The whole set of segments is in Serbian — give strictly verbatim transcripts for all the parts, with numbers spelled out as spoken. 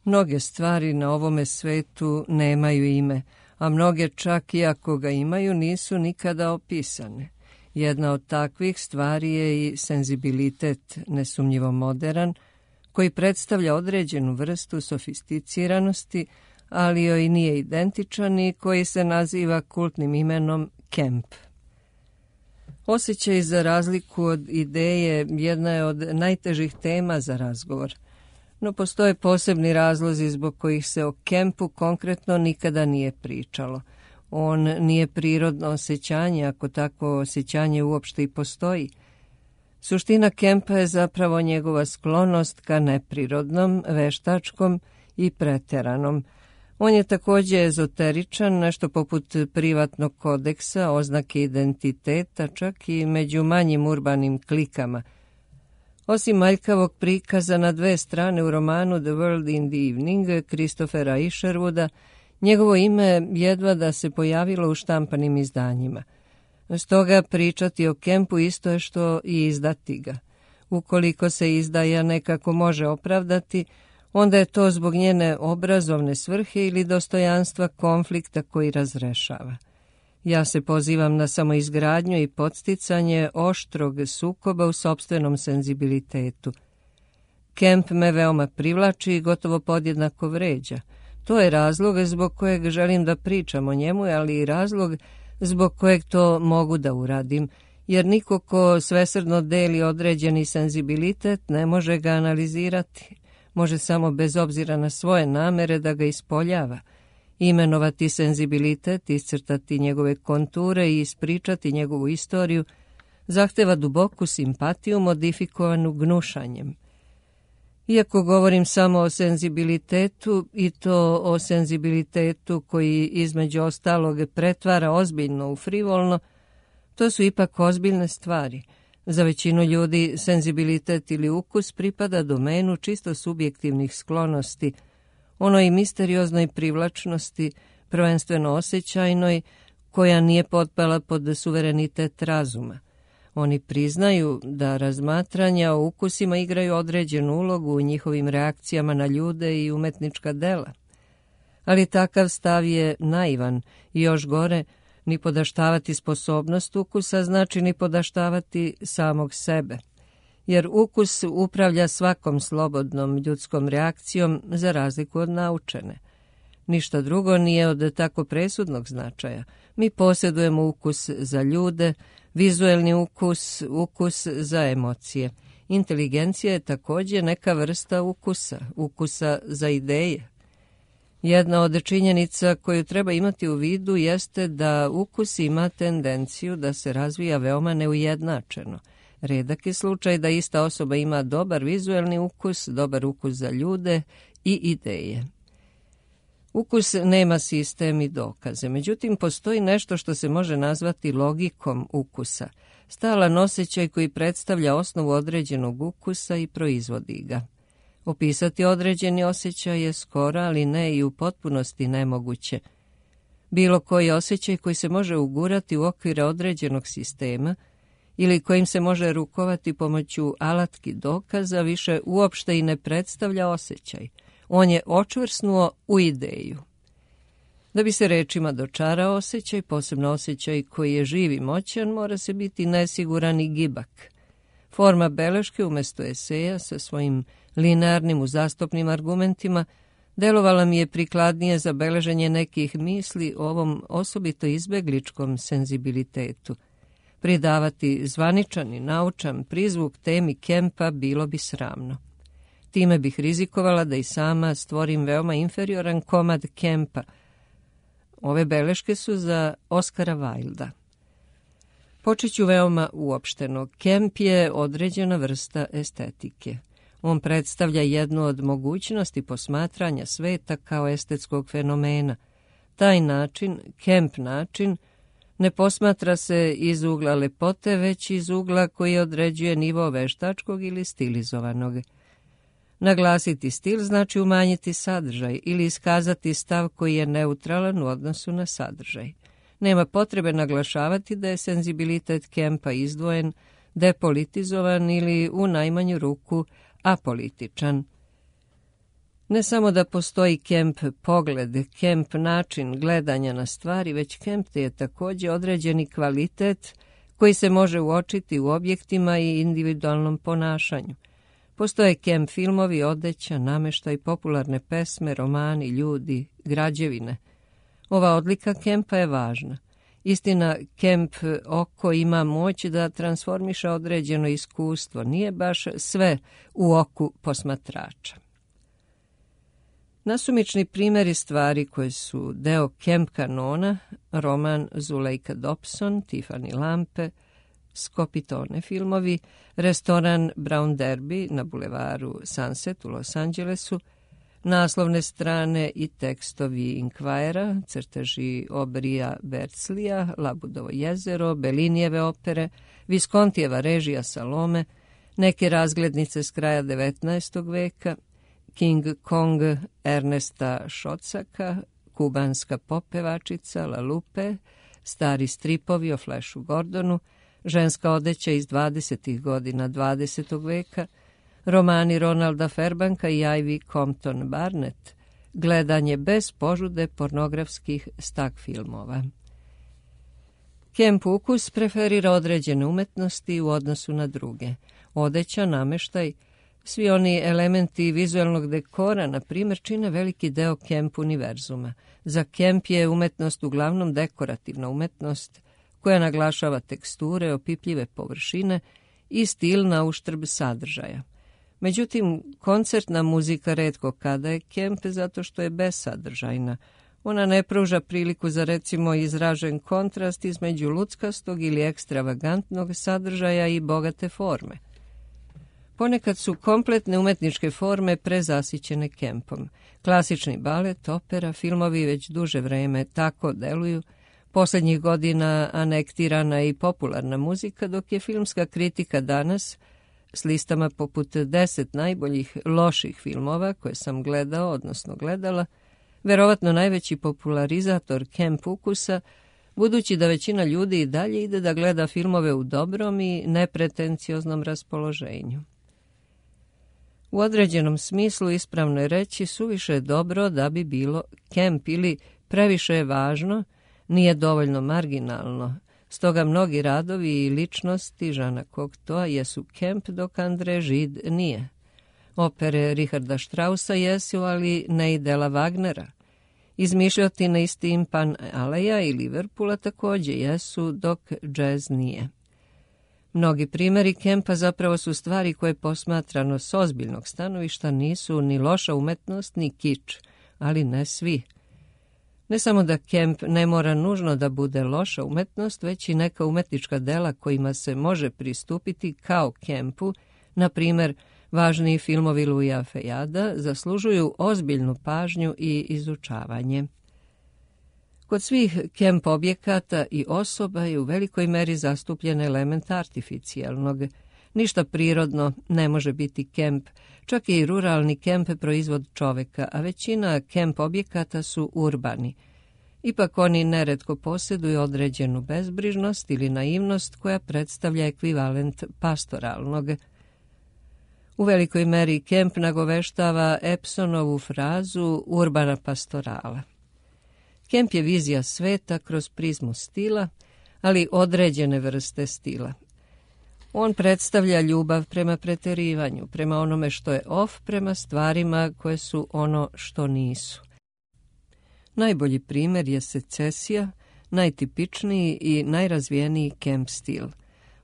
Mnoge stvari na ovome svetu nemaju ime, a mnoge čak i ako ga imaju nisu nikada opisane. Jedna od takvih stvari je i senzibilitet, nesumnjivo moderan, koji predstavlja određenu vrstu sofisticiranosti, ali joj nije identičan i koji se naziva kultnim imenom kemp. Osjećaj za razliku od ideje jedna je od najtežih tema za razgovor, no postoje posebni razlozi zbog kojih se o kempu konkretno nikada nije pričalo. On nije prirodno osjećanje, ako takvo osjećanje uopšte i postoji. Suština kempa je zapravo njegova sklonost ka neprirodnom, veštačkom i preteranom. On je također ezoteričan, nešto poput privatnog kodeksa, oznake identiteta, čak i među manjim urbanim klikama. Osim aljkavog prikaza na dve strane u romanu The World in the Evening Christophera Isherwooda, njegovo ime jedva da se pojavilo u štampanim izdanjima. Stoga pričati o kempu isto je što i izdati ga. Ukoliko se izdaja nekako može opravdati, onda je to zbog njene obrazovne svrhe ili dostojanstva konflikta koji razrešava. Ja se pozivam na samoizgradnju i podsticanje oštrog sukoba u sopstvenom senzibilitetu. Kemp me veoma privlači i gotovo podjednako vređa. To je razlog zbog kojeg želim da pričam o njemu, ali i razlog zbog kojeg to mogu da uradim, jer niko ko svesrdno deli određeni senzibilitet ne može ga analizirati. Može samo bez obzira na svoje namere da ga ispoljava, imenovati senzibilitet, iscrtati njegove konture i ispričati njegovu istoriju, zahteva duboku simpatiju modifikovanu gnušanjem. Iako govorim samo o senzibilitetu, i to o senzibilitetu koji između ostalog pretvara ozbiljno u frivolno, to su ipak ozbiljne stvari. Za većinu ljudi senzibilitet ili ukus pripada domenu čisto subjektivnih sklonosti, onoj misterioznoj privlačnosti, prvenstveno osjećajnoj, koja nije potpala pod suverenitet razuma. Oni priznaju da razmatranja o ukusima igraju određenu ulogu u njihovim reakcijama na ljude i umetnička dela. Ali takav stav je naivan i još gore, ni podaštavati sposobnost ukusa znači ni podaštavati samog sebe, jer ukus upravlja svakom slobodnom ljudskom reakcijom za razliku od naučene. Ništa drugo nije od tako presudnog značaja. Mi posjedujemo ukus za ljude, vizuelni ukus, ukus za emocije. Inteligencija je također neka vrsta ukusa, ukusa za ideje. Jedna od činjenica koju treba imati u vidu jeste da ukus ima tendenciju da se razvija veoma neujednačeno. Redak je slučaj da ista osoba ima dobar vizuelni ukus, dobar ukus za ljude i ideje. Ukus nema sistem i dokaze, međutim postoji nešto što se može nazvati logikom ukusa, stalan osjećaj koji predstavlja osnovu određenog ukusa i proizvodi ga. Opisati određeni osjećaj je skoro, ali ne i u potpunosti nemoguće. Bilo koji osjećaj koji se može ugurati u okvire određenog sistema ili kojim se može rukovati pomoću alatki dokaza više uopšte i ne predstavlja osjećaj. On je očvrsnuo u ideju. Da bi se rečima dočarao osjećaj, posebno osjećaj koji je živ i moćan, mora se biti nesiguran i gibak. Forma beleške umjesto eseja sa svojim linearnim uzastopnim argumentima delovala mi je prikladnije za beleženje nekih misli o ovom osobito izbegličkom senzibilitetu. Pridavati zvaničan i naučan prizvuk temi kempa bilo bi sramno. Time bih rizikovala da i sama stvorim veoma inferioran komad kempa. Ove beleške su za Oskara Wilda. Počet ću veoma uopšteno. Kemp je određena vrsta estetike. On predstavlja jednu od mogućnosti posmatranja sveta kao estetskog fenomena. Taj način, kemp način, ne posmatra se iz ugla lepote, već iz ugla koji određuje nivo veštačkog ili stilizovanog. Naglasiti stil znači umanjiti sadržaj ili iskazati stav koji je neutralan u odnosu na sadržaj. Nema potrebe naglašavati da je senzibilitet kempa izdvojen, depolitizovan ili u najmanju ruku apolitičan. Ne samo da postoji kemp pogled, kemp način gledanja na stvari, već kemp je također određeni kvalitet koji se može uočiti u objektima i individualnom ponašanju. Postoje kemp filmovi, odeća, namještaj, popularne pesme, romani, ljudi, građevine. Ova odlika kempa je važna. Istina, kemp oko ima moć da transformiša određeno iskustvo, nije baš sve u oku posmatrača. Nasumični primjeri stvari koje su deo kemp kanona, roman Zuleika Dobson, Tiffany lampe, Skopitone filmovi, restoran Brown Derby na bulevaru Sunset u Los Angelesu, naslovne strane i tekstovi Inquira, crteži Obrija Berclija, Labudovo jezero, Bellinijeve opere, Viskontijeva režija Salome, neke razglednice s kraja devetnaestog veka, King Kong Ernesta Šocaka, kubanska popevačica La Lupe, stari stripovi o Flashu Gordonu, ženska odeća iz dvadesetih godina dvadesetog veka, romani Ronalda Fairbanka i Ivy Compton Barnett, gledanje bez požude pornografskih stak filmova. Kemp ukus preferira određene umetnosti u odnosu na druge. Odeća, nameštaj, svi oni elementi vizualnog dekora, na primjer, čine veliki deo kemp univerzuma. Za kemp je umetnost uglavnom dekorativna umetnost koja naglašava teksture, opipljive površine i stil na uštrb sadržaja. Međutim, koncertna muzika retko kada je kemp zato što je besadržajna. Ona ne pruža priliku za recimo izražen kontrast između luckastog ili ekstravagantnog sadržaja i bogate forme. Ponekad su kompletne umetničke forme prezasićene kempom. Klasični balet, opera, filmovi već duže vreme tako deluju, posljednjih godina anektirana i popularna muzika, dok je filmska kritika danas s listama poput deset najboljih loših filmova koje sam gledao, odnosno gledala, verovatno najveći popularizator kemp ukusa, budući da većina ljudi i dalje ide da gleda filmove u dobrom i nepretencioznom raspoloženju. U određenom smislu ispravno je reći suviše je dobro da bi bilo kemp ili previše je važno, nije dovoljno marginalno. Stoga mnogi radovi i ličnosti Žana Cocteau jesu kemp, dok André Gide nije. Opere Richarda Straussa jesu, ali ne i dela Wagnera. Izmišljotine iz Timpan Aleja i Liverpoola također jesu, dok džez nije. Mnogi primjeri kempa zapravo su stvari koje posmatrano s ozbiljnog stanovišta nisu ni loša umetnost, ni kič, ali ne svi. Ne samo da kemp ne mora nužno da bude loša umetnost, već i neka umetnička dela kojima se može pristupiti kao kempu, na primjer, važniji filmovi Louisa Fejada, zaslužuju ozbiljnu pažnju i izučavanje. Kod svih kemp objekata i osoba je u velikoj meri zastupljen element artificijalnog. Ništa prirodno ne može biti kemp, čak i ruralni kemp proizvod čoveka, a većina kemp objekata su urbani. Ipak oni neretko posjeduju određenu bezbrižnost ili naivnost koja predstavlja ekvivalent pastoralnog. U velikoj meri kemp nagoveštava Epsonovu frazu urbana pastorala. Kemp je vizija sveta kroz prizmu stila, ali određene vrste stila. On predstavlja ljubav prema preterivanju, prema onome što je off, prema stvarima koje su ono što nisu. Najbolji primjer je secesija, najtipičniji i najrazvijeniji kemp stil.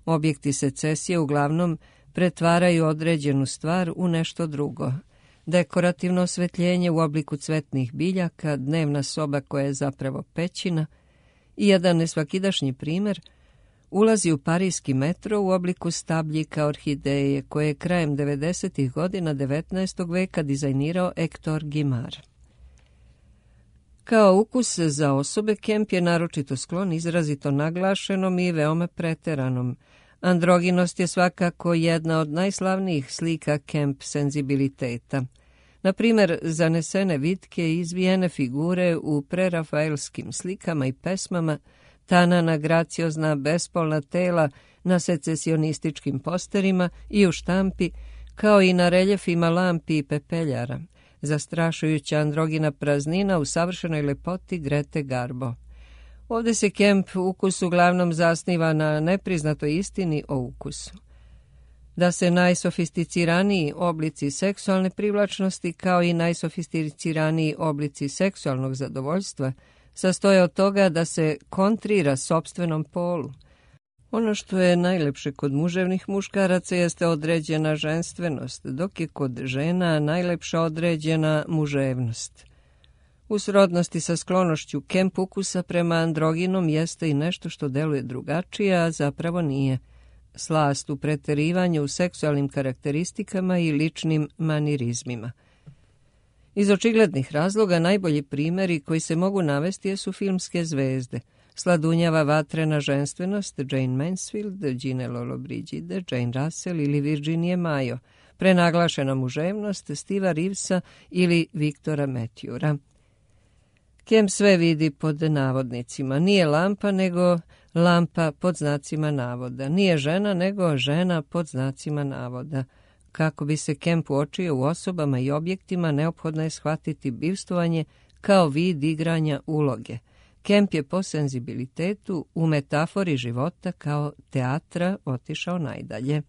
Objekti secesije uglavnom pretvaraju određenu stvar u nešto drugo. Dekorativno osvetljenje u obliku cvetnih biljaka, dnevna soba koja je zapravo pećina i jedan nesvakidašnji primjer ulazi u parijski metro u obliku stabljika orhideje koje je krajem devedesetih godina devetnaestog veka dizajnirao Hector Guimard. Kao ukus za osobe, kemp je naročito sklon izrazito naglašenom i veoma preteranom. Androginost je svakako jedna od najslavnijih slika kemp senzibiliteta. Na primjer, zanesene vitke i izvijene figure u prerafaelskim slikama i pesmama, tanana, graciozna, bespolna tela na secesionističkim posterima i u štampi, kao i na reljefima lampi i pepeljara. zastrašujuća androgina praznina u savršenoj lepoti Grete Garbo. Ovdje se Kemp ukus uglavnom zasniva na nepriznatoj istini o ukusu. Da se najsofisticiraniji oblici seksualne privlačnosti kao i najsofisticiraniji oblici seksualnog zadovoljstva sastoje od toga da se kontrira sopstvenom polu. Ono što je najlepše kod muževnih muškaraca jeste određena ženstvenost, dok je kod žena najlepša određena muževnost. U srodnosti sa sklonošću Kemp ukusa prema androginom jeste i nešto što deluje drugačije, a zapravo nije. Slast u preterivanju u seksualnim karakteristikama i ličnim manirizmima. Iz očiglednih razloga najbolji primjeri koji se mogu navesti su filmske zvezde. Sladunjava vatrena ženstvenost Jane Mansfield, Gine Lollobrigida, Jane Russell ili Virginia Mayo, prenaglašena muževnost Steva Reevesa ili Viktora Matthewa. Kemp sve vidi pod navodnicima. Nije lampa, nego lampa pod znacima navoda. Nije žena, nego žena pod znacima navoda. Kako bi se Kemp uočio u osobama i objektima, neophodno je shvatiti bivstvovanje kao vid igranja uloge. Kemp je po senzibilitetu u metafori života kao teatra otišao najdalje.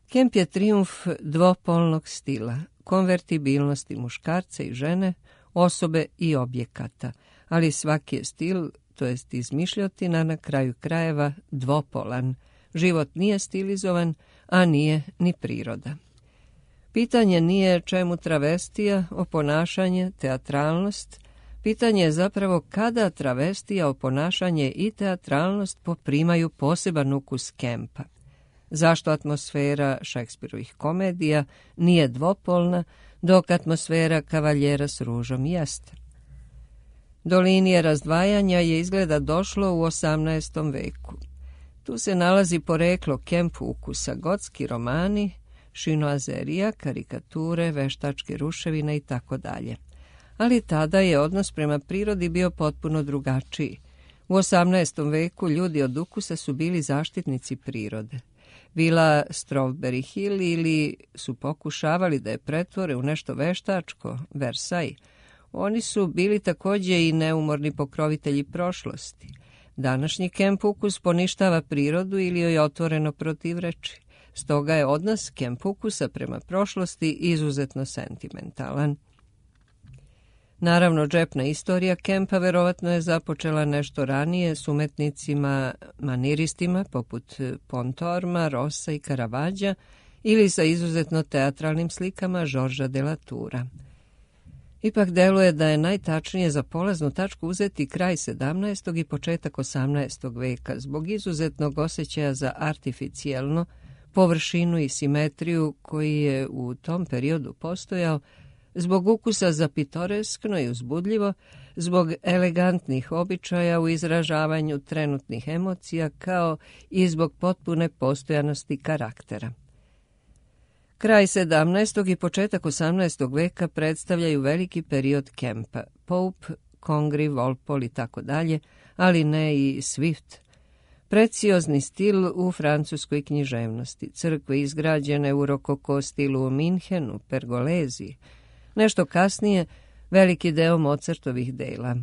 Kemp je trijumf dvopolnog stila, konvertibilnosti muškarca i žene, osobe i objekata, ali svaki je stil, to jest izmišljotina, na kraju krajeva dvopolan. Život nije stilizovan, a nije ni priroda. Pitanje nije čemu travestija, oponašanje, teatralnost. Pitanje je zapravo kada travestija, oponašanje i teatralnost poprimaju poseban ukus Kempa. Zašto atmosfera Šekspirovih komedija nije dvopolna, dok atmosfera Kavaljera s ružom jeste? Do linije razdvajanja je izgleda došlo u osamnaestom veku. Tu se nalazi poreklo Kemp ukusa, gotski romani, šinoazerija, karikature, veštačke ruševine i tako dalje. Ali tada je odnos prema prirodi bio potpuno drugačiji. U osamnaestom veku ljudi od ukusa su bili zaštitnici prirode. Vila Strawberry Hill ili su pokušavali da je pretvore u nešto veštačko, Versailles. Oni su bili također i neumorni pokrovitelji prošlosti. Današnji Kemp ukus poništava prirodu ili joj otvoreno protivreči. Stoga je odnos Kemp ukusa prema prošlosti izuzetno sentimentalan. Naravno, džepna istorija Kempa verovatno je započela nešto ranije s umetnicima maniristima poput Pontorma, Rossa i Caravaggea ili sa izuzetno teatralnim slikama Georgesa de la Toura. Ipak deluje da je najtačnije za polaznu tačku uzeti kraj sedamnaestog i početak osamnaestog veka zbog izuzetnog osjećaja za artificijelno, površinu i simetriju koji je u tom periodu postojao, zbog ukusa za pitoreskno i uzbudljivo, zbog elegantnih običaja u izražavanju trenutnih emocija, kao i zbog potpune postojanosti karaktera. Kraj sedamnaestog i početak osamnaestog veka predstavljaju veliki period Kempa, Pope, Congreve, Walpole i tako dalje, ali ne i Swift. Preciozni stil u francuskoj književnosti, crkve izgrađene u rokoko stilu u Minhenu, Pergolezi. Nešto kasnije, veliki deo Mozartovih dela.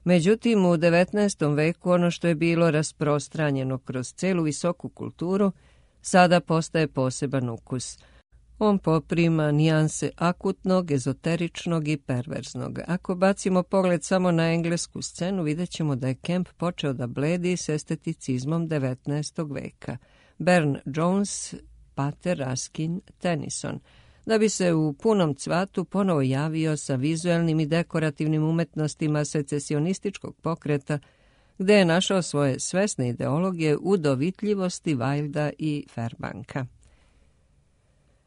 Međutim, u devetnaestom veku ono što je bilo rasprostranjeno kroz celu visoku kulturu, sada postaje poseban ukus. On poprima nijanse akutnog, ezoteričnog i perverznog. Ako bacimo pogled samo na englesku scenu, vidjet ćemo da je Kemp počeo da bledi s esteticizmom devetnaestog veka. Burne Jones, Pater Raskin, Tennyson, da bi se u punom cvatu ponovo javio sa vizuelnim i dekorativnim umetnostima secesionističkog pokreta, gde je našao svoje svesne ideologije u dovitljivosti Wilda i Fairbanka.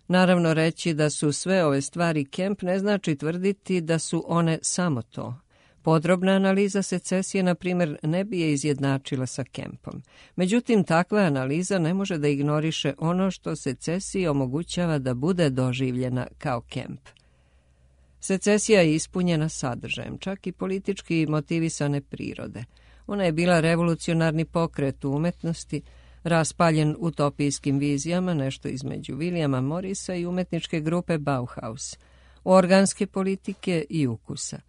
Naravno, reći da su sve ove stvari Kemp ne znači tvrditi da su one samo to. Podrobna analiza secesije, na primjer, ne bi je izjednačila sa Kempom. Međutim, takva analiza ne može da ignoriše ono što secesiji omogućava da bude doživljena kao Kemp. Secesija je ispunjena sadržajem, čak i politički motivisane prirode. Ona je bila revolucionarni pokret u umetnosti, raspaljen utopijskim vizijama, nešto između Williama Morrisa i umetničke grupe Bauhaus. organske politike i ukusa.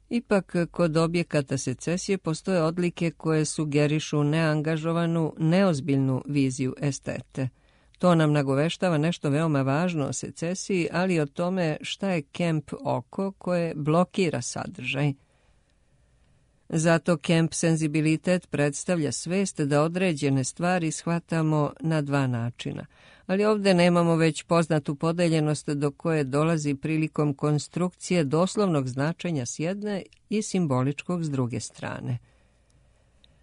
Ipak, kod objekata secesije postoje odlike koje sugerišu neangažovanu, neozbiljnu viziju estete. To nam nagoveštava nešto veoma važno o secesiji, ali i o tome šta je Kemp oko koje blokira sadržaj. Zato Kemp senzibilitet predstavlja svest da određene stvari shvatamo na dva načina. Ali ovdje nemamo već poznatu podeljenost do koje dolazi prilikom konstrukcije doslovnog značenja s jedne i simboličkog s druge strane.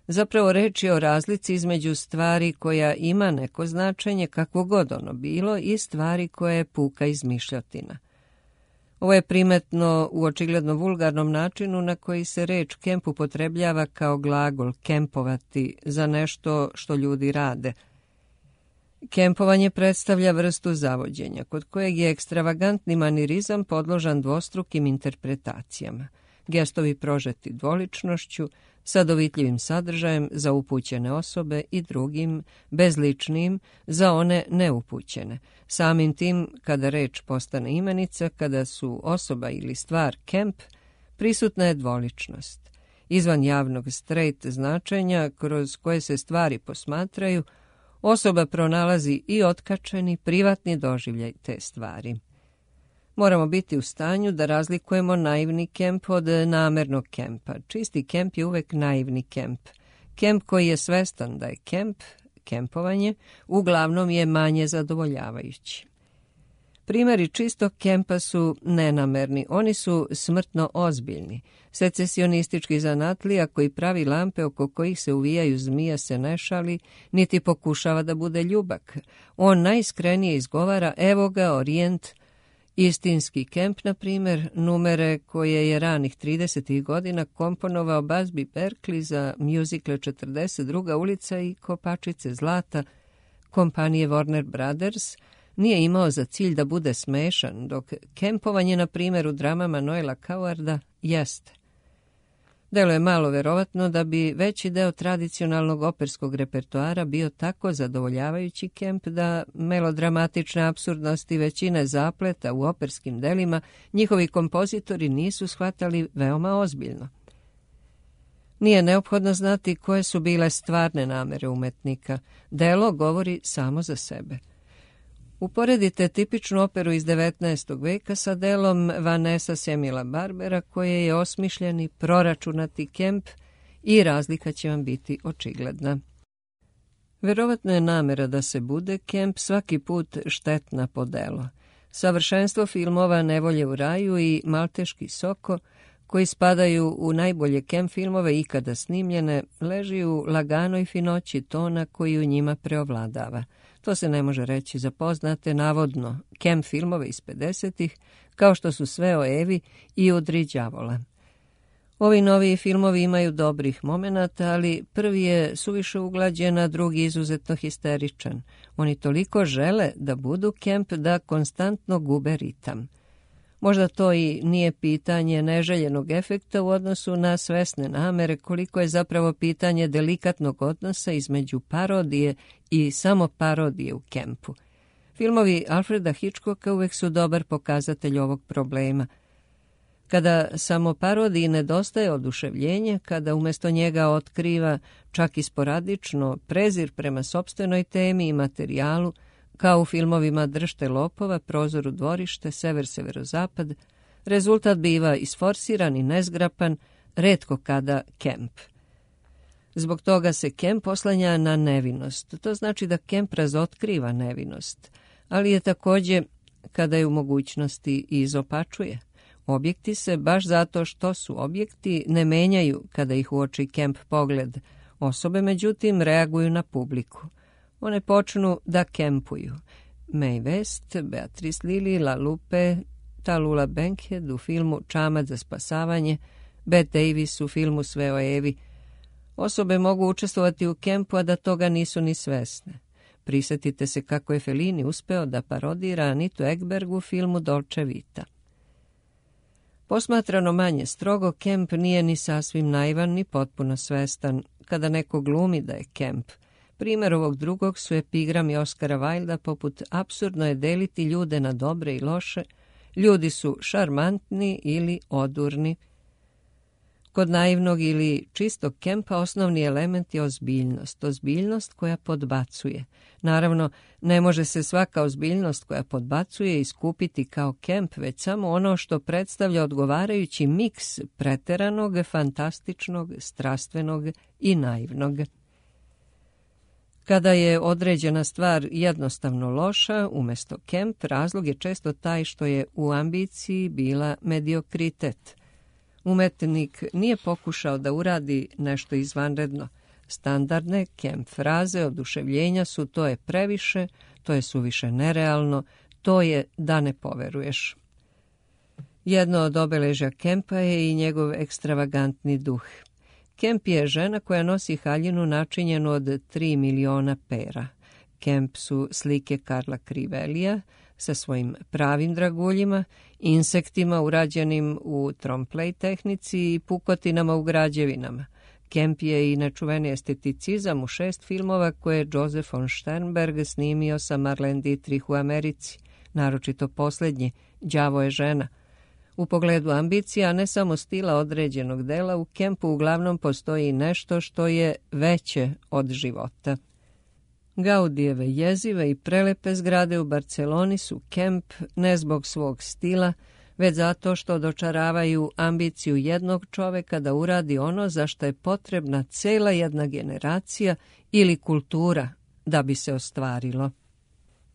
Zapravo reč je o razlici između stvari koja ima neko značenje, kakvo god ono bilo, i stvari koja je puka izmišljotina. Ovo je primetno u očigledno vulgarnom načinu na koji se reč kemp upotrebljava kao glagol kempovati za nešto što ljudi rade. Kempovanje predstavlja vrstu zavođenja, kod kojeg je ekstravagantni manirizam podložan dvostrukim interpretacijama. Gestovi prožeti dvoličnošću, sa dovitljivim sadržajem za upućene osobe i drugim, bezličnim, za one neupućene. Samim tim, kada reč postane imenica, kada su osoba ili stvar kemp, prisutna je dvoličnost. Izvan javnog straight značenja, kroz koje se stvari posmatraju, osoba pronalazi i otkačeni, privatni doživljaj te stvari. Moramo biti u stanju da razlikujemo naivni kemp od namernog kempa. Čisti kemp je uvek naivni kemp. Kemp koji je svestan da je kemp, kempovanje, uglavnom je manje zadovoljavajući. Primjeri čistog kempa su nenamerni, oni su smrtno ozbiljni. Secesionistički zanatlija koji pravi lampe oko kojih se uvijaju zmija se ne šali, niti pokušava da bude ljubak. On najiskrenije izgovara evo ga orijent. Istinski kemp, na primjer, numere koje je ranih tridesetih godina komponovao Busby Berkeley za mjuzikle četrdeset druga ulica i Kopačice zlata kompanije Warner Brothers, nije imao za cilj da bude smešan, dok kempovanje, na primjer, u dramama Noela Cowarda jeste. Delo je malo verovatno da bi veći deo tradicionalnog operskog repertoara bio tako zadovoljavajući kemp da melodramatične apsurdnosti većine zapleta u operskim delima njihovi kompozitori nisu shvatali veoma ozbiljno. Nije neophodno znati koje su bile stvarne namere umetnika. Delo govori samo za sebe. Uporedite tipičnu operu iz devetnaestog veka sa delom Vanessa Semila Barbera, koje je osmišljeni, proračunati kemp i razlika će vam biti očigledna. Verovatno je namera da se bude kemp svaki put štetna po delo. Savršenstvo filmova Nevolje u raju i Malteški soko, koji spadaju u najbolje kemp filmove ikada snimljene, leži u laganoj finoći tona koji u njima preovladava. To se ne može reći za poznate, navodno, kemp filmove iz pedesetih, kao što su Sve o Evi i Udri đavola. Ovi noviji filmovi imaju dobrih momenata, ali prvi je suviše uglađen, a drugi izuzetno histeričan. Oni toliko žele da budu kemp da konstantno gube ritam. Možda to i nije pitanje neželjenog efekta u odnosu na svesne namere, koliko je zapravo pitanje delikatnog odnosa između parodije i samo parodije u kempu. Filmovi Alfreda Hitchcocka uvek su dobar pokazatelj ovog problema. Kada samo parodiji nedostaje oduševljenje, kada umjesto njega otkriva, čak i sporadično, prezir prema sopstvenoj temi i materijalu, kao u filmovima Držte lopova, Prozor u dvorište, Sever-severozapad, rezultat biva isforsiran i nezgrapan, retko kada kemp. Zbog toga se kemp oslanja na nevinost. To znači da kemp razotkriva nevinost, ali je također, kada je u mogućnosti, i izopačuje. Objekti se, baš zato što su objekti, ne menjaju kada ih uoči kemp pogled. Osobe, međutim, reaguju na publiku. One počnu da kempuju. Mae West, Beatrice Lillie, La Lupe, Tallulah Bankhead u filmu Čamac za spasavanje, Bette Davis u filmu Sve o Evi. Osobe mogu učestvovati u kempu, a da toga nisu ni svesne. Prisjetite se kako je Fellini uspeo da parodira Anitu Ekberg u filmu Dolce Vita. Posmatrano manje strogo, kemp nije ni sasvim naivan ni potpuno svestan kada neko glumi da je kemp. Primjer ovog drugog su epigrami Oskara Wilda poput apsurdno je deliti ljude na dobre i loše, Ljudi su šarmantni ili odurni. Kod naivnog ili čistog kempa osnovni element je ozbiljnost, ozbiljnost koja podbacuje. Naravno, ne može se svaka ozbiljnost koja podbacuje iskupiti kao kemp, već samo ono što predstavlja odgovarajući miks preteranog, fantastičnog, strastvenog i naivnog. Kada je određena stvar jednostavno loša, umjesto kemp, razlog je često taj što je u ambiciji bila mediokritet. Umetnik nije pokušao da uradi nešto izvanredno. Standardne kemp fraze oduševljenja su to je previše, to je suviše nerealno, to je da ne poveruješ. Jedno od obeležja kempa je i njegov ekstravagantni duh. Kemp je žena koja nosi haljinu načinjenu od tri miliona pera. Kemp su slike Karla Crivelija sa svojim pravim draguljima, insektima urađenim u trompe tehnici i pukotinama u građevinama. Kemp je i nečuveni esteticizam u šest filmova koje je Joseph von Sternberg snimio sa Marlene Dietrich u Americi, naročito posljednji, Đavo je žena. U pogledu ambicija, ne samo stila određenog dela, u kempu uglavnom postoji nešto što je veće od života. Gaudijeve jezive i prelepe zgrade u Barceloni su kemp ne zbog svog stila, već zato što dočaravaju ambiciju jednog čoveka da uradi ono za što je potrebna cela jedna generacija ili kultura da bi se ostvarilo.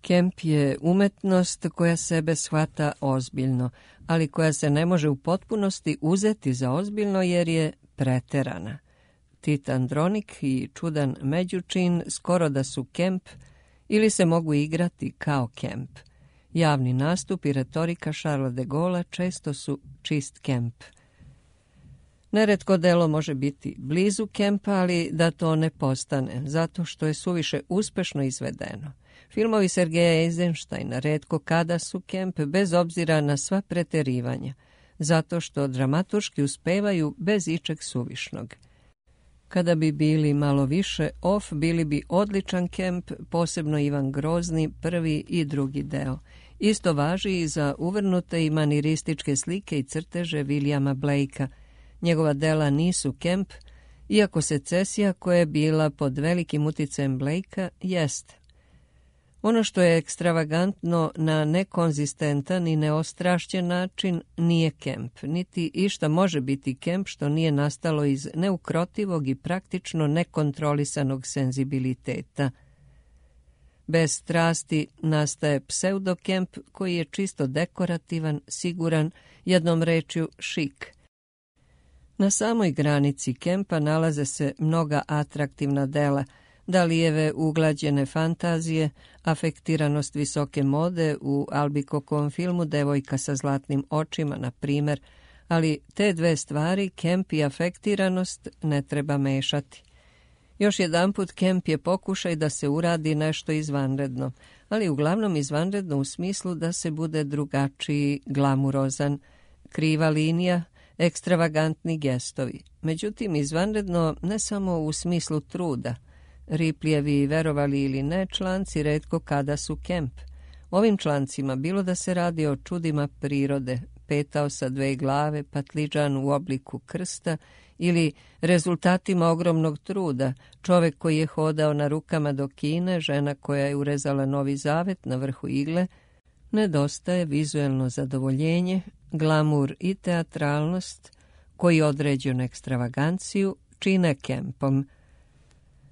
Kemp je umetnost koja sebe shvata ozbiljno, ali koja se ne može u potpunosti uzeti za ozbiljno jer je preterana. Tit Andronik i čudan Međučin skoro da su kemp ili se mogu igrati kao kemp. Javni nastup i retorika Charlesa de Gaulle'a često su čist kemp. Neretko delo može biti blizu kempa, ali da to ne postane, zato što je suviše uspešno izvedeno. Filmovi Sergeja Eisensteina retko kada su kemp bez obzira na sva preterivanja, zato što dramaturški uspevaju bez ičeg suvišnog. Kada bi bili malo više off, bili bi odličan kemp, posebno Ivan Grozni, prvi i drugi deo. Isto važi i za uvrnute i manirističke slike i crteže Williama Blakea. Njegova dela nisu kemp, iako secesija koja je bila pod velikim uticajem Blakea jeste. Ono što je ekstravagantno na nekonzistentan i neostrašćen način nije kemp, niti išta može biti kemp što nije nastalo iz neukrotivog i praktično nekontrolisanog senzibiliteta. Bez strasti nastaje pseudokemp koji je čisto dekorativan, siguran, jednom rečju šik. Na samoj granici kempa nalaze se mnoga atraktivna dela, Dalijeve uglađene fantazije, afektiranost visoke mode u Albicokovom filmu Devojka sa zlatnim očima, na primjer, ali te dve stvari, kemp i afektiranost, ne treba mešati. Još jedanput, kemp je pokušaj da se uradi nešto izvanredno, ali uglavnom izvanredno u smislu da se bude drugačiji, glamurozan, kriva linija, ekstravagantni gestovi. Međutim, izvanredno ne samo u smislu truda. Ripljevi, verovali ili ne, članci retko kada su kemp. Ovim člancima, bilo da se radi o čudima prirode, petao sa dve glave, patliđan u obliku krsta, ili rezultatima ogromnog truda, čovek koji je hodao na rukama do Kine, žena koja je urezala Novi Zavet na vrhu igle, nedostaje vizuelno zadovoljenje, glamur i teatralnost, koji određenu ekstravaganciju čine kempom.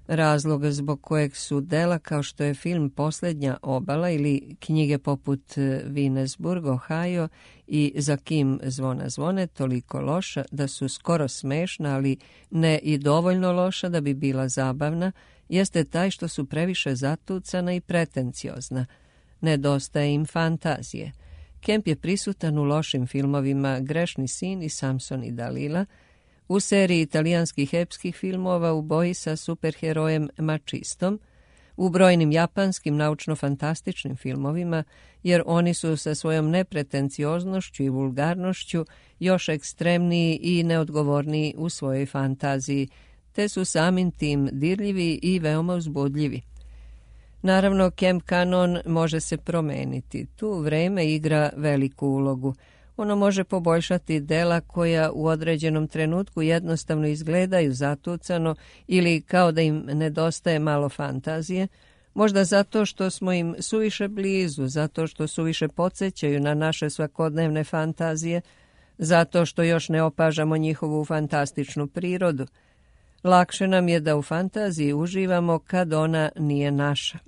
Razlog zbog kojeg su dela kao što je film Posljednja obala ili knjige poput Vinesburg, Ohio i Za kim zvona zvone toliko loša da su skoro smešna, ali ne i dovoljno loša da bi bila zabavna, jeste taj što su previše zatucana i pretenciozna. Nedostaje im fantazije. Kemp je prisutan u lošim filmovima Grešni sin i Samson i Dalila, u seriji italijanskih epskih filmova U boji sa superherojem Mačistom, u brojnim japanskim naučno-fantastičnim filmovima, jer oni su sa svojom nepretencioznošću i vulgarnošću još ekstremniji i neodgovorniji u svojoj fantaziji, te su samim tim dirljivi i veoma uzbudljivi. Naravno, Kemp kanon može se promeniti. Tu vreme igra veliku ulogu. Ono može poboljšati dela koja u određenom trenutku jednostavno izgledaju zatucano ili kao da im nedostaje malo fantazije, možda zato što smo im suviše blizu, zato što suviše podsjećaju na naše svakodnevne fantazije, zato što još ne opažamo njihovu fantastičnu prirodu. Lakše nam je da u fantaziji uživamo kad ona nije naša.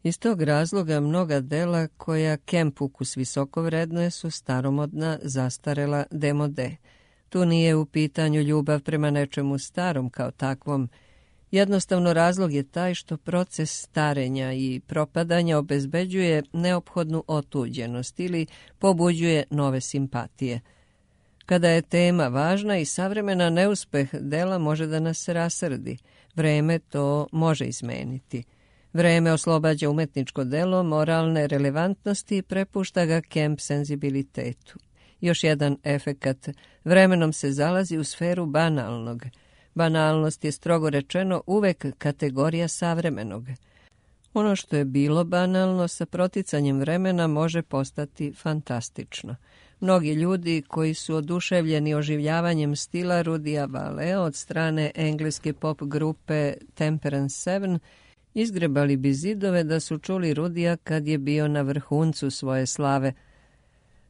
Iz tog razloga mnoga dela koja Kemp ukus visoko vrednuje su staromodna, zastarela, demode. Tu nije u pitanju ljubav prema nečemu starom kao takvom. Jednostavno razlog je taj što proces starenja i propadanja obezbeđuje neophodnu otuđenost ili pobuđuje nove simpatije. Kada je tema važna i savremena, neuspeh dela može da nas rasrdi. Vreme to može izmeniti. Vreme oslobađa umetničko delo moralne relevantnosti i prepušta ga Kemp senzibilitetu. Još jedan efekat, vremenom se zalazi u sferu banalnog. Banalnost je, strogo rečeno, uvek kategorija savremenog. Ono što je bilo banalno sa proticanjem vremena može postati fantastično. Mnogi ljudi koji su oduševljeni oživljavanjem stila Rudija Valea od strane engleske pop grupe Temperance Seven izgrebali bi zidove da su čuli Rudija kad je bio na vrhuncu svoje slave.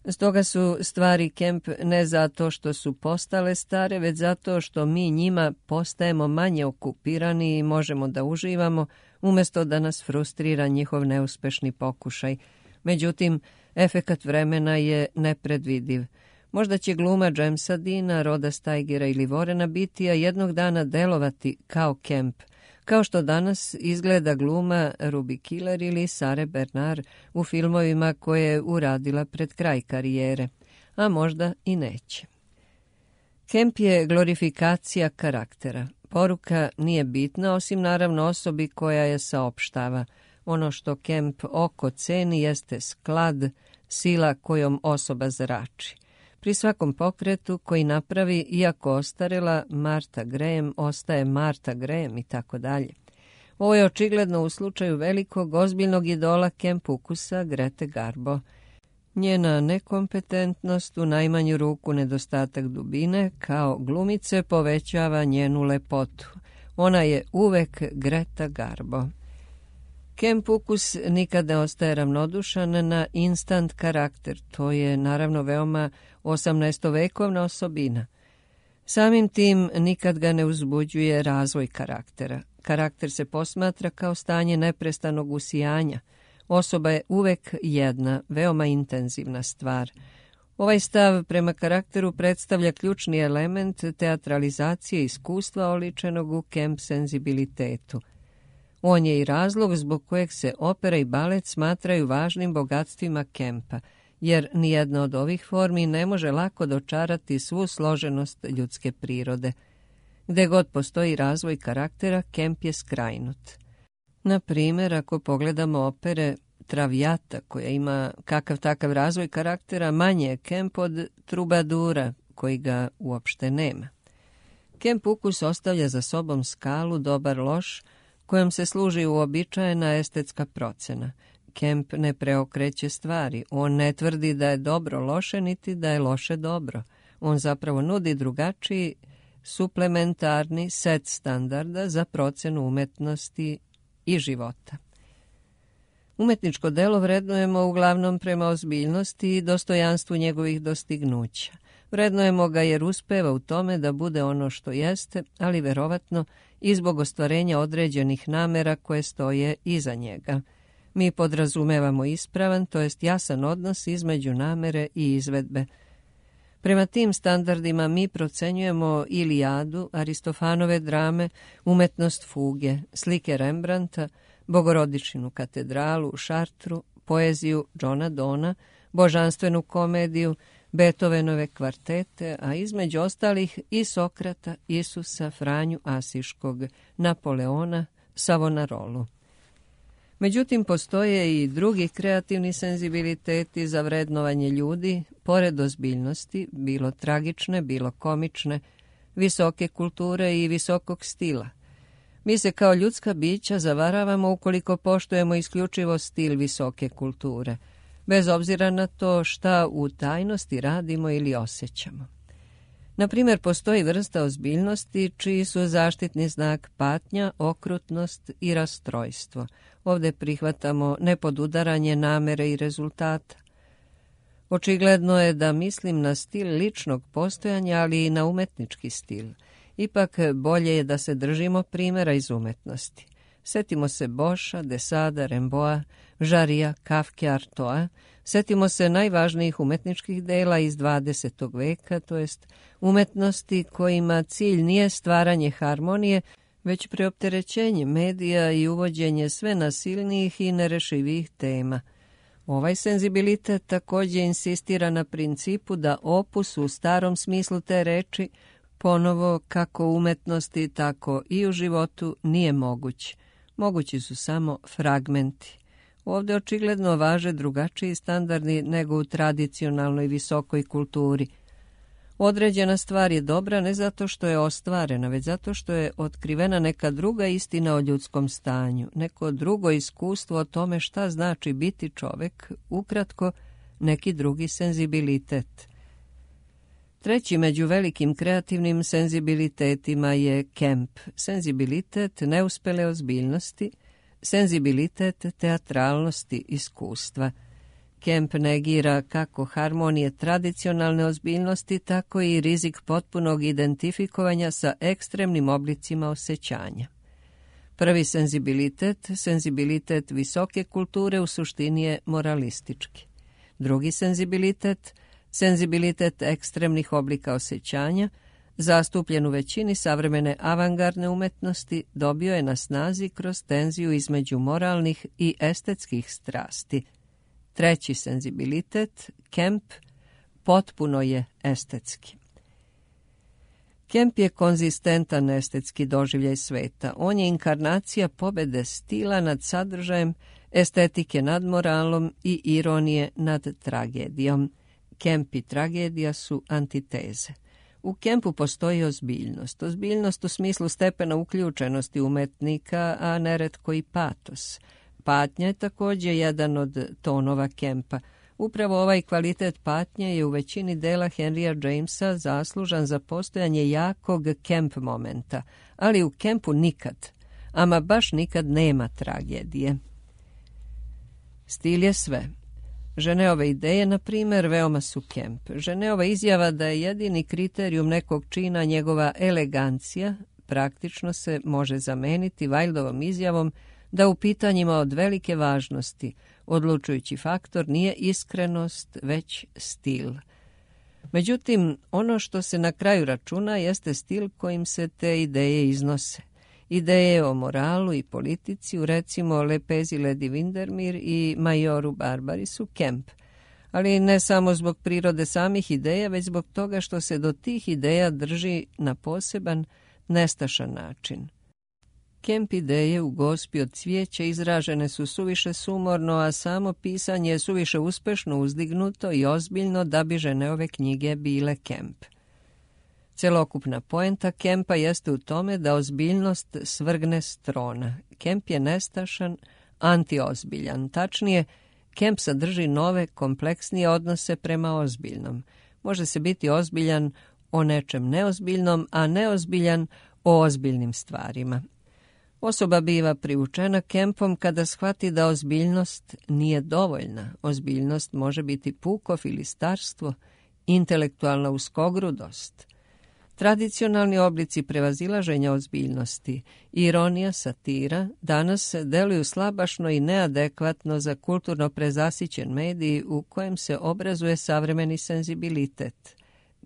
Stoga su stvari Kemp ne zato što su postale stare, već zato što mi njima postajemo manje okupirani i možemo da uživamo, umjesto da nas frustrira njihov neuspešni pokušaj. Međutim, efekat vremena je nepredvidiv. Možda će gluma Jamesa Deana, Roda Steigera ili Warrena Beattyja jednog dana delovati kao Kemp, kao što danas izgleda gluma Ruby Killer ili Sare Bernard u filmovima koje je uradila pred kraj karijere, a možda i neće. Kemp je glorifikacija karaktera. Poruka nije bitna, osim naravno osobi koja je saopštava. Ono što Kemp oko ceni jeste sklad, sila kojom osoba zrači. Pri svakom pokretu koji napravi, iako ostarela, Martha Graham ostaje Martha Graham i tako dalje. Ovo je očigledno u slučaju velikog, ozbiljnog idola Kemp ukusa Grete Garbo. Njena nekompetentnost, u najmanju ruku nedostatak dubine, kao glumice povećava njenu lepotu. Ona je uvek Greta Garbo. Kemp ukus nikad ne ostaje ravnodušan na instant karakter. To je naravno veoma osamnaestovekovna osobina. Samim tim nikad ga ne uzbuđuje razvoj karaktera. Karakter se posmatra kao stanje neprestanog usijanja. Osoba je uvek jedna, veoma intenzivna stvar. Ovaj stav prema karakteru predstavlja ključni element teatralizacije iskustva oličenog u Kemp senzibilitetu. On je i razlog zbog kojeg se opera i balet smatraju važnim bogatstvima Kempa, jer nijedna od ovih formi ne može lako dočarati svu složenost ljudske prirode. Gde god postoji razvoj karaktera, Kemp je skrajnut. Na primjer, ako pogledamo opere Traviata, koja ima kakav takav razvoj karaktera, manje je Kemp od Trubadura, koji ga uopšte nema. Kemp ukus ostavlja za sobom skalu dobar-loš, kojom se služi uobičajena estetska procena. Kemp ne preokreće stvari. On ne tvrdi da je dobro loše, niti da je loše dobro. On zapravo nudi drugačiji, suplementarni set standarda za procenu umetnosti i života. Umetničko delo vrednujemo uglavnom prema ozbiljnosti i dostojanstvu njegovih dostignuća. Vrednujemo ga jer uspeva u tome da bude ono što jeste, ali verovatno i zbog ostvarenja određenih namera koje stoje iza njega. Mi podrazumevamo ispravan, to jest jasan odnos između namere i izvedbe. Prema tim standardima mi procenjujemo Ilijadu, Aristofanove drame, umetnost fuge, slike Rembrandta, Bogorodičinu katedralu u Šartru, poeziju Johna Dona, božanstvenu komediju, Beethovenove kvartete, a između ostalih i Sokrata, Isusa, Franju Asiškog, Napoleona, Savonarolu. Međutim, postoje i drugi kreativni senzibiliteti za vrednovanje ljudi, pored ozbiljnosti, bilo tragične, bilo komične, visoke kulture i visokog stila. Mi se kao ljudska bića zavaravamo ukoliko poštujemo isključivo stil visoke kulture, bez obzira na to šta u tajnosti radimo ili osjećamo. Na primjer, postoji vrsta ozbiljnosti čiji su zaštitni znak patnja, okrutnost i rastrojstvo. Ovdje prihvatamo nepodudaranje namere i rezultata. Očigledno je da mislim na stil ličnog postojanja, ali i na umetnički stil. Ipak bolje je da se držimo primjera iz umetnosti. Setimo se Boša, Desada, Remboa, Žarija, Kafke, Artoa. Setimo se najvažnijih umetničkih dela iz dvadesetog veka, to jest umetnosti kojima cilj nije stvaranje harmonije, već preopterećenje medija i uvođenje sve nasilnijih i nerešivih tema. Ovaj senzibilitet također insistira na principu da opus u starom smislu te reči ponovo kako u umetnosti, tako i u životu nije moguć. Mogući su samo fragmenti. Ovdje očigledno važe drugačiji standardi nego u tradicionalnoj visokoj kulturi. Određena stvar je dobra ne zato što je ostvarena, već zato što je otkrivena neka druga istina o ljudskom stanju, neko drugo iskustvo o tome šta znači biti čovjek, ukratko neki drugi senzibilitet. Treći među velikim kreativnim senzibilitetima je Kemp, senzibilitet neuspele ozbiljnosti, senzibilitet teatralnosti iskustva. Kemp negira kako harmonije tradicionalne ozbiljnosti, tako i rizik potpunog identifikovanja sa ekstremnim oblicima osjećanja. Prvi senzibilitet, senzibilitet visoke kulture, u suštini je moralistički. Drugi senzibilitet, senzibilitet ekstremnih oblika osjećanja, zastupljen u većini savremene avangardne umetnosti, dobio je na snazi kroz tenziju između moralnih i estetskih strasti. Treći senzibilitet, Kemp, potpuno je estetski. Kemp je konzistentan estetski doživljaj sveta. On je inkarnacija pobede stila nad sadržajem, estetike nad moralom i ironije nad tragedijom. Kemp i tragedija su antiteze. U Kempu postoji ozbiljnost. Ozbiljnost u smislu stepena uključenosti umetnika, a neretko i patos. Patnja je također jedan od tonova Kempa. Upravo ovaj kvalitet patnje je u većini dela Henrya Jamesa zaslužan za postojanje jakog Kemp momenta, ali u Kempu nikad, ama baš nikad nema tragedije. Stil je sve. Ženeove ideje, na primjer, veoma su Kemp. Ženeova izjava da je jedini kriterijum nekog čina njegova elegancija, praktično se može zameniti Wildovom izjavom da u pitanjima od velike važnosti odlučujući faktor nije iskrenost, već stil. Međutim, ono što se na kraju računa jeste stil kojim se te ideje iznose. Ideje o moralu i politici u recimo Lepezi Lady Windermere i Majoru Barbari su Kemp, ali ne samo zbog prirode samih ideja, već zbog toga što se do tih ideja drži na poseban, nestašan način. Kemp ideje u Gospi od cvijeća izražene su suviše sumorno, a samo pisanje je suviše uspešno uzdignuto i ozbiljno da bi Ženeove knjige bile Kemp. Celokupna poenta Kempa jeste u tome da ozbiljnost svrgne s trona. Kemp je nestašan, antiozbiljan. Tačnije, Kemp sadrži nove, kompleksnije odnose prema ozbiljnom. Može se biti ozbiljan o nečem neozbiljnom, a neozbiljan o ozbiljnim stvarima. Osoba biva privučena Kempom kada shvati da ozbiljnost nije dovoljna. Ozbiljnost može biti puko filistarstvo, intelektualna uskogrudost. Tradicionalni oblici prevazilaženja ozbiljnosti, ironija, satira, danas deluju slabašno i neadekvatno za kulturno prezasićen medij u kojem se obrazuje savremeni senzibilitet.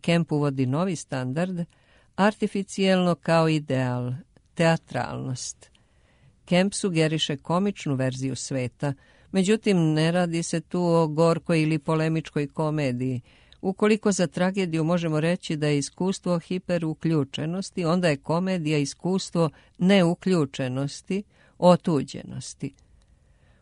Kemp uvodi novi standard, artificijelno kao ideal, teatralnost. Kemp sugeriše komičnu verziju sveta, međutim ne radi se tu o gorkoj ili polemičkoj komediji. Ukoliko za tragediju možemo reći da je iskustvo hiperuključenosti, onda je komedija iskustvo neuključenosti, otuđenosti.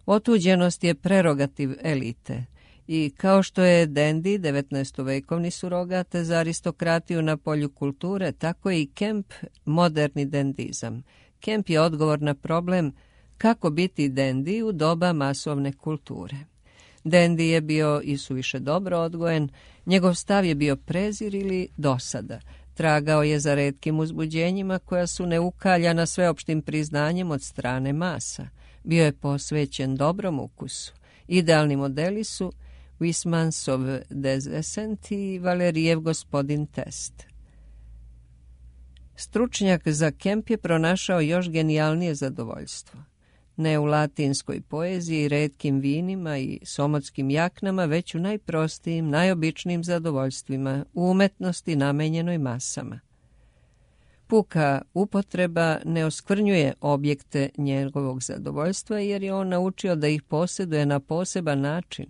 Otuđenost je prerogativ elite i kao što je Dandy devetnaestovekovni surogat za aristokratiju na polju kulture, tako je i Kemp moderni dendizam. Kemp je odgovor na problem kako biti dendi u doba masovne kulture. Dendi je bio i suviše dobro odgojen, njegov stav je bio prezir ili dosada. Tragao je za retkim uzbuđenjima koja su neukaljana sveopštim priznanjem od strane masa. Bio je posvećen dobrom ukusu. Idealni modeli su Huysmansov Descent i Valerijev Gospodin Test. Stručnjak za Kemp je pronašao još genijalnije zadovoljstvo. Ne u latinskoj poeziji, retkim vinima i somotskim jaknama, već u najprostijim, najobičnijim zadovoljstvima, u umetnosti namenjenoj masama. Puka upotreba ne oskvrnjuje objekte njegovog zadovoljstva, jer je on naučio da ih posjeduje na poseban način.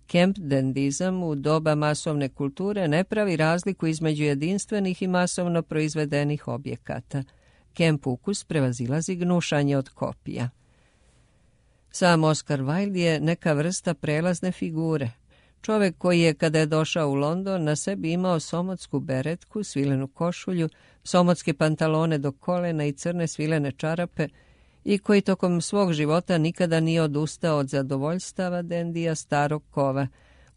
Kemp dendizam u doba masovne kulture ne pravi razliku između jedinstvenih i masovno proizvedenih objekata. Kemp ukus prevazilazi gnušanje od kopija. Sam Oscar Wilde je neka vrsta prelazne figure. Čovjek koji je, kada je došao u London, na sebi imao somotsku beretku, svilenu košulju, somotske pantalone do kolena i crne svilene čarape i koji tokom svog života nikada nije odustao od zadovoljstava dendija starog kova.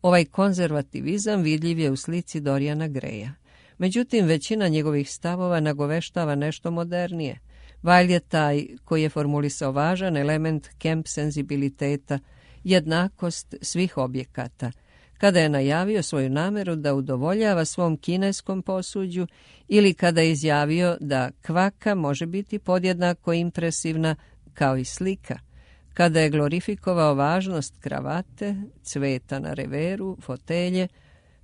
Ovaj konzervativizam vidljiv je u slici Doriana Greya. Međutim, većina njegovih stavova nagoveštava nešto modernije. Wilde je taj koji je formulisao važan element Kemp senzibiliteta, jednakost svih objekata, kada je najavio svoju nameru da udovoljava svom kineskom posuđu ili kada je izjavio da kvaka može biti podjednako impresivna kao i slika, kada je glorifikovao važnost kravate, cveta na reveru, fotelje,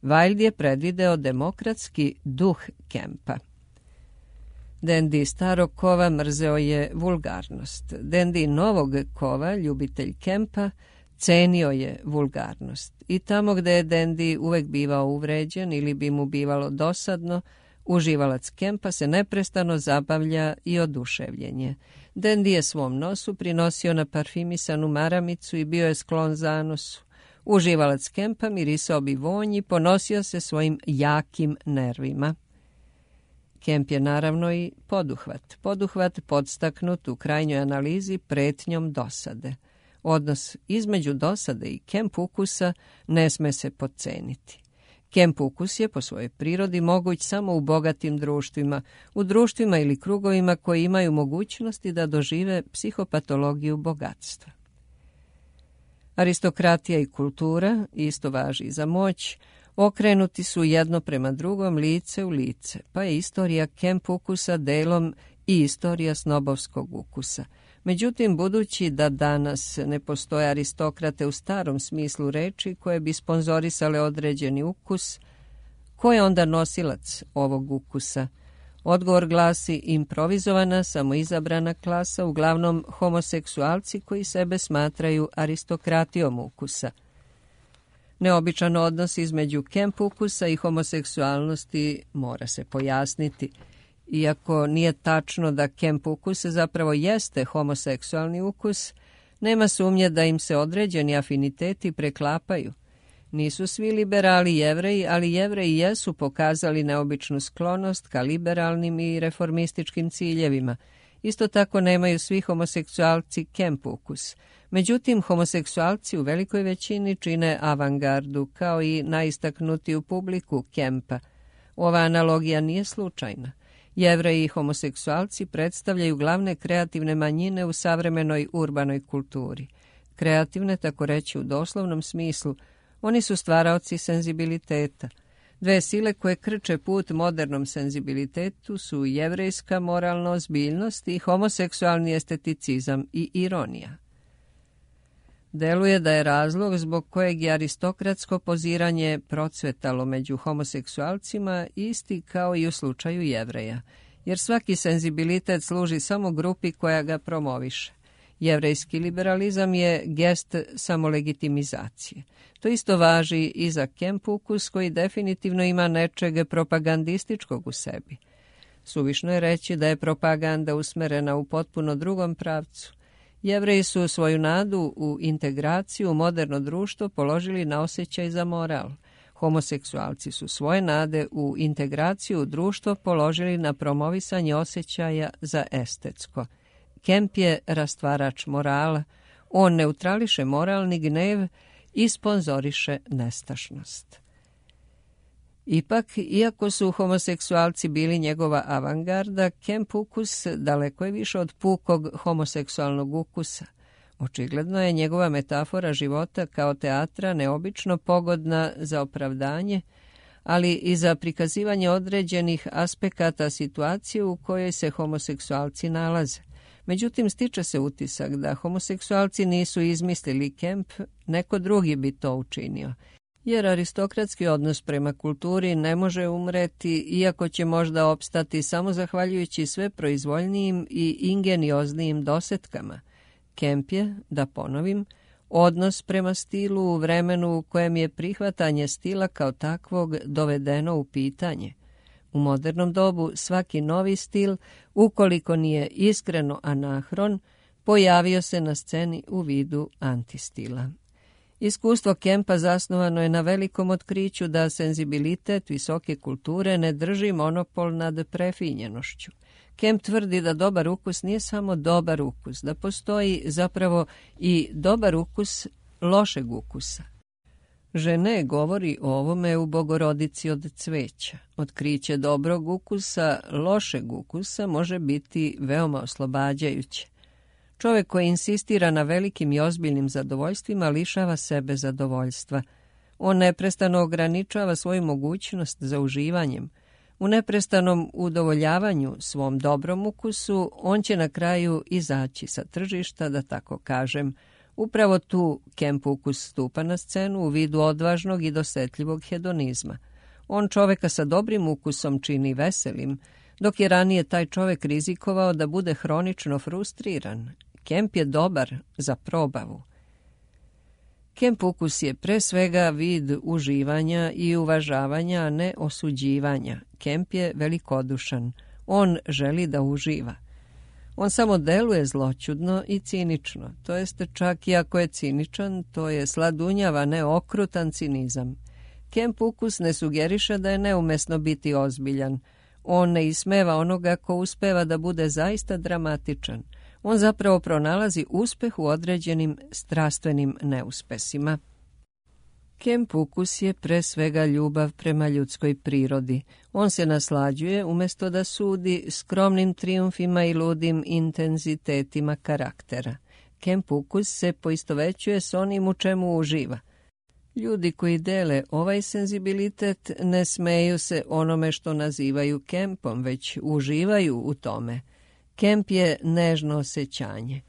Wilde je predvideo demokratski duh Kempa. Dendi starog kova mrzeo je vulgarnost. Dendi novog kova, ljubitelj Kempa, cenio je vulgarnost. I tamo gde je dendi uvek bivao uvređen ili bi mu bivalo dosadno, uživalac Kempa se neprestano zabavlja i oduševljen je. Dendi je svom nosu prinosio na parfimisanu maramicu i bio je sklon zanosu. Uživalac Kempa mirisao bi vonj i ponosio se svojim jakim nervima. Kemp je naravno i poduhvat. Poduhvat podstaknut u krajnjoj analizi pretnjom dosade. Odnos između dosade i Kemp ukusa ne sme se podceniti. Kemp ukus je po svojoj prirodi moguć samo u bogatim društvima, u društvima ili krugovima koji imaju mogućnosti da dožive psihopatologiju bogatstva. Aristokratija i kultura, isto važi i za moć, okrenuti su jedno prema drugom, lice u lice, pa je istorija Kemp ukusa delom i istorija snobovskog ukusa. Međutim, budući da danas ne postoje aristokrate u starom smislu reči koje bi sponzorisale određeni ukus, ko je onda nosilac ovog ukusa? Odgovor glasi improvizovana, samoizabrana klasa, uglavnom homoseksualci koji sebe smatraju aristokratijom ukusa. Neobičan odnos između Kemp ukusa i homoseksualnosti mora se pojasniti. Iako nije tačno da Kemp ukus zapravo jeste homoseksualni ukus, nema sumnje da im se određeni afiniteti preklapaju. Nisu svi liberali Jevreji, ali Jevreji jesu pokazali neobičnu sklonost ka liberalnim i reformističkim ciljevima. Isto tako nemaju svi homoseksualci Kemp ukus. Međutim, homoseksualci u velikoj većini čine avangardu, kao i najistaknutiju publiku Kempa. Ova analogija nije slučajna. Jevreji i homoseksualci predstavljaju glavne kreativne manjine u savremenoj urbanoj kulturi. Kreativne, tako reći u doslovnom smislu, oni su stvaraoci senzibiliteta. Dve sile koje krče put modernom senzibilitetu su jevrejska moralna ozbiljnost i homoseksualni esteticizam i ironija. Deluje da je razlog zbog kojeg je aristokratsko poziranje procvetalo među homoseksualcima isti kao i u slučaju Jevreja, jer svaki senzibilitet služi samo grupi koja ga promoviše. Jevrejski liberalizam je gest samolegitimizacije. To isto važi i za Kemp ukus koji definitivno ima nečeg propagandističkog u sebi. Suvišno je reći da je propaganda usmerena u potpuno drugom pravcu. Jevreji su svoju nadu u integraciju u moderno društvo položili na osjećaj za moral. Homoseksualci su svoje nade u integraciju u društvo položili na promovisanje osjećaja za estetsko. Kemp je rastvarač morala. On neutrališe moralni gnev i sponzoriše nestašnost. Ipak, iako su homoseksualci bili njegova avangarda, Kemp ukus daleko je više od pukog homoseksualnog ukusa. Očigledno je njegova metafora života kao teatra neobično pogodna za opravdanje, ali i za prikazivanje određenih aspekata situacije u kojoj se homoseksualci nalaze. Međutim, stiče se utisak da homoseksualci nisu izmislili Kemp, neko drugi bi to učinio. Jer aristokratski odnos prema kulturi ne može umreti, iako će možda opstati samo zahvaljujući sve proizvoljnijim i ingenioznijim dosetkama. Kemp je, da ponovim, odnos prema stilu u vremenu u kojem je prihvatanje stila kao takvog dovedeno u pitanje. U modernom dobu svaki novi stil, ukoliko nije iskreno anahron, pojavio se na sceni u vidu antistila. Iskustvo Kempa zasnovano je na velikom otkriću da senzibilitet visoke kulture ne drži monopol nad prefinjenošću. Kemp tvrdi da dobar ukus nije samo dobar ukus, da postoji zapravo i dobar ukus lošeg ukusa. Žene govori o ovome u Bogorodici od cveća. Otkriće dobrog ukusa, lošeg ukusa može biti veoma oslobađajuće. Čovjek koji insistira na velikim i ozbiljnim zadovoljstvima lišava sebe zadovoljstva. On neprestano ograničava svoju mogućnost za uživanjem. U neprestanom udovoljavanju svom dobrom ukusu on će na kraju izaći sa tržišta, da tako kažem. Upravo tu Kemp ukus stupa na scenu u vidu odvažnog i dosetljivog hedonizma. On čovjeka sa dobrim ukusom čini veselim, dok je ranije taj čovjek rizikovao da bude hronično frustriran. Kemp je dobar za probavu. Kemp ukus je pre svega vid uživanja i uvažavanja, a ne osuđivanja. Kemp je velikodušan. On želi da uživa. On samo deluje zloćudno i cinično. To jeste, čak i ako je ciničan, to je sladunjav, a ne okrutan cinizam. Kemp ukus ne sugeriše da je neumesno biti ozbiljan. On ne ismeva onoga ko uspeva da bude zaista dramatičan. On zapravo pronalazi uspeh u određenim strastvenim neuspesima. Kemp ukus je pre svega ljubav prema ljudskoj prirodi. On se naslađuje umjesto da sudi skromnim trijumfima i ludim intenzitetima karaktera. Kemp ukus se poistovećuje s onim u čemu uživa. Ljudi koji dele ovaj senzibilitet ne smeju se onome što nazivaju Kempom, već uživaju u tome. Kemp je nežno osjećanje.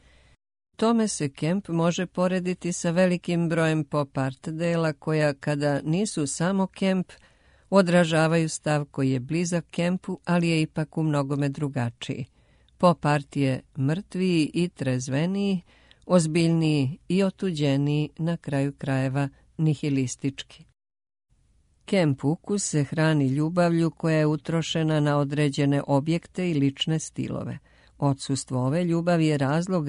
Tome se Kemp može porediti sa velikim brojem pop art dela koja, kada nisu samo Kemp, odražavaju stav koji je blizak Kempu, ali je ipak u mnogome drugačiji. Pop art je mrtviji i trezveniji, ozbiljniji i otuđeniji, na kraju krajeva nihilistički. Kemp ukus se hrani ljubavlju koja je utrošena na određene objekte i lične stilove. Odsustvo ove ljubavi je razlog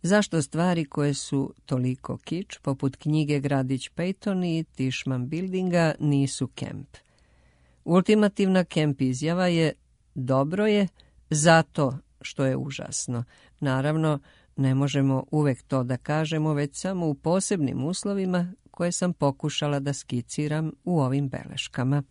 zašto stvari koje su toliko kič, poput knjige Gradić Peyton i Tishman Buildinga, nisu Kemp. Ultimativna Kemp izjava je: dobro je zato što je užasno. Naravno, ne možemo uvek to da kažemo, već samo u posebnim uslovima koje sam pokušala da skiciram u ovim beleškama.